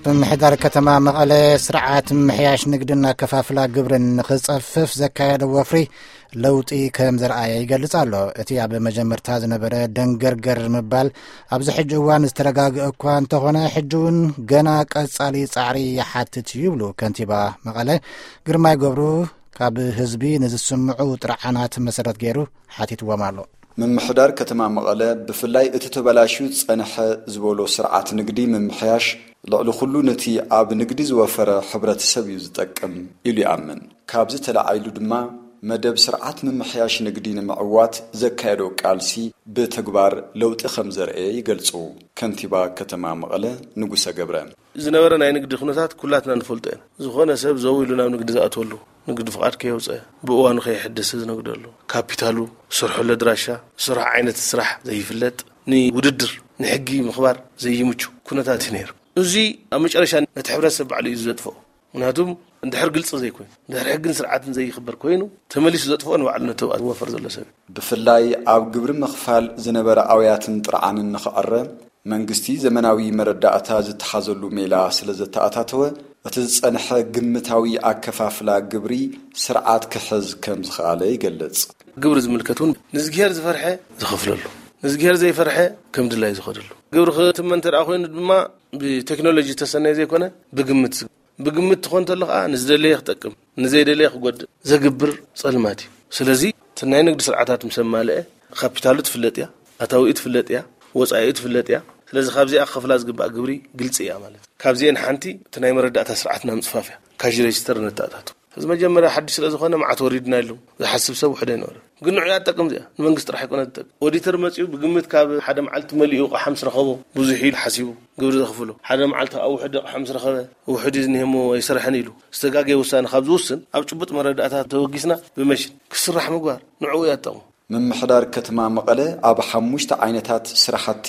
ምምሕዳር ከተማ መቐለ ስርዓት ምምሕያሽ ንግድን ኣከፋፍላ ግብርን ንኽጸፍፍ ዘካየዶ ወፍሪ ለውጢ ከም ዘርኣየ ይገልጽ ኣሎ። እቲ ኣብ መጀመርታ ዝነበረ ደንገርገር ምባል ኣብዚ ሕጂ እዋን ዝተረጋግአ እኳ እንተኾነ፣ ሕጂ እውን ገና ቀጻሊ ጻዕሪ ይሓትት እዩ ይብሉ ከንቲባ መቐለ ግርማይ ገብሩ። ካብ ህዝቢ ንዝስምዑ ጥርዓናት መሰረት ገይሩ ሓቲትዎም ኣሎ። ምምሕዳር ከተማ መቐለ ብፍላይ እቲ ተበላሽዩ ዝጸንሐ ዝበሎ ስርዓት ንግዲ ምምሕያሽ ልዕሊ ኩሉ ነቲ ኣብ ንግዲ ዝወፈረ ሕብረተሰብ እዩ ዝጠቅም ኢሉ ይኣምን። ካብዚ ተለዓኢሉ ድማ መደብ ስርዓት ምምሕያሽ ንግዲ ንምዕዋት ዘካየዶ ቃልሲ ብተግባር ለውጢ ከም ዘርኤ ይገልጹ ከንቲባ ከተማ መቐለ ንጉሰ ገብረ። ዝነበረ ናይ ንግዲ ኩነታት ኩላትና ንፈልጦ ኢና። ዝኾነ ሰብ ዘው ኢሉ ናብ ንግዲ ዝኣትወሉ፣ ንግዲ ፍቓድ ከየውፀ፣ ብእዋኑ ከየሕደሰ ዝነግደሉ፣ ካፒታሉ፣ ዝሰርሐሉ ኣድራሻ፣ ዝሰርሖ ዓይነት ስራሕ ዘይፍለጥ፣ ንውድድር፣ ንሕጊ ምኽባር ዘይምቹ ኩነታት እዩ ነይሩ። እዚ ኣብ መጨረሻ ነቲ ሕብረተሰብ ባዕሉ እዩ ዘጥፍኦ። ምክንያቱም እንድሕር ግልፂ ዘይኮይኑ፣ እንድሕር ሕግን ስርዓትን ዘይኽበር ኮይኑ፣ ተመሊሱ ዘጥፍኦ ንባዕሉ ነቲ ኣብኡ ዝወፈር ዘሎ ሰብ እዩ። ብፍላይ ኣብ ግብሪ ምኽፋል ዝነበረ ኣውያትን ጥርዓንን ንኽዕረ መንግስቲ ዘመናዊ መረዳእታ ዝተሓዘሉ ሜላ ስለ ዘተኣታተወ፣ እቲ ዝጸንሐ ግምታዊ ኣከፋፍላ ግብሪ ስርዓት ክሕዝ ከም ዝኸኣለ ይገልጽ። ግብሪ ዝምልከት እውን ንእዝግሄር ዝፈርሐ ዝኸፍለሉ፣ ንእዝግሄር ዘይፈርሐ ከም ድላይ ዝኸደሉ። ግብሪ ክትመን እንተ ደኣ ኮይኑ ድማ ብቴክኖሎጂ ዝተሰነየ ዘይኮነ ብግምት፣ ብግምት ትኾን እንተሎ ከዓ ንዝደለየ ክጠቅም፣ ንዘይደለየ ክጎድእ ዘግብር ጸልማት እዩ። ስለዚ እቲ ናይ ንግዲ ስርዓታት ምስ ኣማልአ ካፒታሉ ትፍለጥ እያ፣ ኣታዊኡ ትፍለጥ እያ፣ ወጻኢኡ ትፍለጥ እያ። ስለዚ ካብዚኣ ክኸፍላ ዝግባእ ግብሪ ግልጺ እያ ማለት እዩ። ካብዚአን ሓንቲ እቲ ናይ መረዳእታ ስርዓትና ምጽፋፍ እያ። ካሽ ሬጅስተር ነተኣታቱ። እዚ መጀመርያ ሓድሽ ስለ ዝኾነ መዓት ወሪድና ኢሉ ዝሓስብ ሰብ ውሕደ ኣይነበረ። ግን ንዑ እያ ትጠቅም እዚኣ። ንመንግስቲ ጥራሕ ኣይኮነ ትጠቅም። ኦዲተር መጺኡ ብግምት ካብ ሓደ መዓልቲ መሊኡ ኣቕሓ ምስ ረኸቦ ብዙሕ ኢሉ ሓሲቡ ግብሪ ዘኽፍሎ። ሓደ መዓልቲ ኣብ ውሕድ ኣቕሓ ምስ ረኸበ ውሕድ እዩ ዝኒሄ እሞ ኣይሰርሐን ኢሉ ዝተጋገየ ውሳነ ካብ ዝውስን ኣብ ጭቡጥ መረዳእታ ተወጊስና ብመሽን ክስራሕ ምግባር ንዕኡ እያ ትጠቕሞ። ምምሕዳር ከተማ መቐለ ኣብ ሓሙሽተ ዓይነታት ስራሕቲ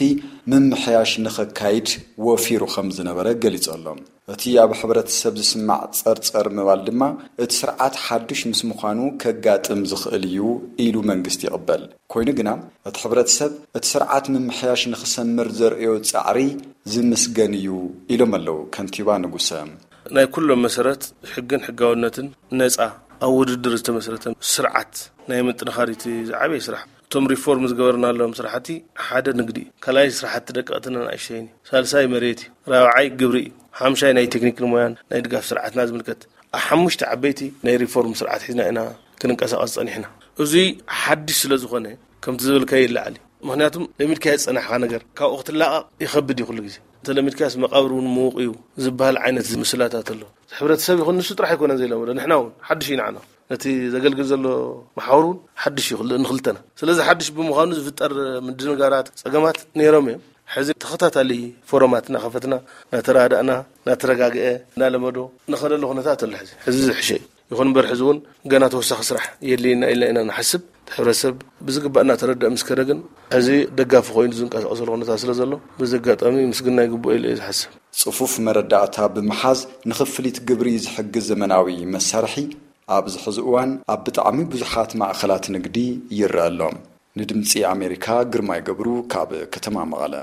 ምምሕያሽ ንኸካይድ ወፊሩ ከም ዝነበረ ገሊጹ ኣሎ። እቲ ኣብ ሕብረተሰብ ዝስማዕ ጸርጸር ምባል ድማ እቲ ስርዓት ሓዱሽ ምስ ምዃኑ ከጋጥም ዝኽእል እዩ ኢሉ መንግስቲ ይቕበል። ኮይኑ ግና እቲ ሕብረተሰብ እቲ ስርዓት ምምሕያሽ ንኽሰምር ዘርእዮ ጻዕሪ ዝምስገን እዩ ኢሎም ኣለዉ ከንቲባ ንጉሰ። ናይ ኩሎም መሰረት ሕግን ሕጋውነትን ነጻ ኣብ ውድድር ዝተመስረተ ስርዓት ናይ ምጥንኻር እቲ ዝዓበየ ስራሕ። እቶም ሪፎርም ዝገበርናሎም ስራሕቲ ሓደ ንግዲ እዩ። ካልኣይ ስራሕቲ ደቀቕትን ኣናእሽተይን እዩ። ሳልሳይ መሬት እዩ። ራብዓይ ግብሪ እዩ። ሓምሻይ ናይ ቴክኒክን ሞያን ናይ ድጋፍ ስርዓትና ዝምልከት። ኣብ ሓሙሽተ ዓበይቲ ናይ ሪፎርም ስርዓት ሒዝና ኢና ክንንቀሳቐስ ጸኒሕና። እዚ ሓድሽ ስለ ዝኾነ ከምቲ ዝበልካዮ ይለዓል እዩ። ምኽንያቱም ለሚድካዮ ዝጸናሕካ ነገር ካብኡ ክትላቐቕ ይኸብድ እዩ ኩሉ ግዜ። እንተ ለሚድካዮስ መቓብር እውን ምዉቕ እዩ ዝበሃል ዓይነት ምስላታት ኣሎ። ሕብረተሰብ ይኹን ንሱ ጥራሕ ኣይኮነን ዘይለመዶ፣ ንሕና እውን ሓድሽ እዩ ንዓና። ነቲ ዘገልግል ዘሎ መሓውር እውን ሓድሽ እዩ ክል-፣ ንኽልተና። ስለዚ ሓድሽ ብምዃኑ ዝፍጠር ምድንጋራት፣ ጸገማት ነይሮም እዮም። ሕዚ ተኸታታሊ ፎረማት እናኸፈትና፣ እናተረዳእና፣ እናተረጋግአ፣ እናለመዶ ንኸደሉ ኩነታት ኣሎ። ሕዚ፣ ሕዚ ዝሕሸ እዩ። ይኹን እምበር ሕዚ እውን ገና ተወሳኺ ስራሕ የድልየና ኢልና ኢና ንሓስብ። እቲ ሕብረተሰብ ብዝግባእ እናተረድአ ምስ ከደ ግን፣ ሕዚ ደጋፊ ኮይኑ ዝንቀሳቐሰሉ ኩነታት ስለ ዘሎ፣ በዚ ኣጋጣሚ ምስግና ይግብኦ ኢለ እየ ዝሓስብ። ጽፉፍ መረዳእታ ብምሓዝ ንኽፍሊት ግብሪ ዝሕግዝ ዘመናዊ መሳርሒ ኣብዚ ሕዚ እዋን ኣብ ብጣዕሚ ብዙሓት ማእኸላት ንግዲ ይረአ ኣሎ። ንድምጺ ኣሜሪካ ግርማይ ገብሩ ካብ ከተማ መቐለ።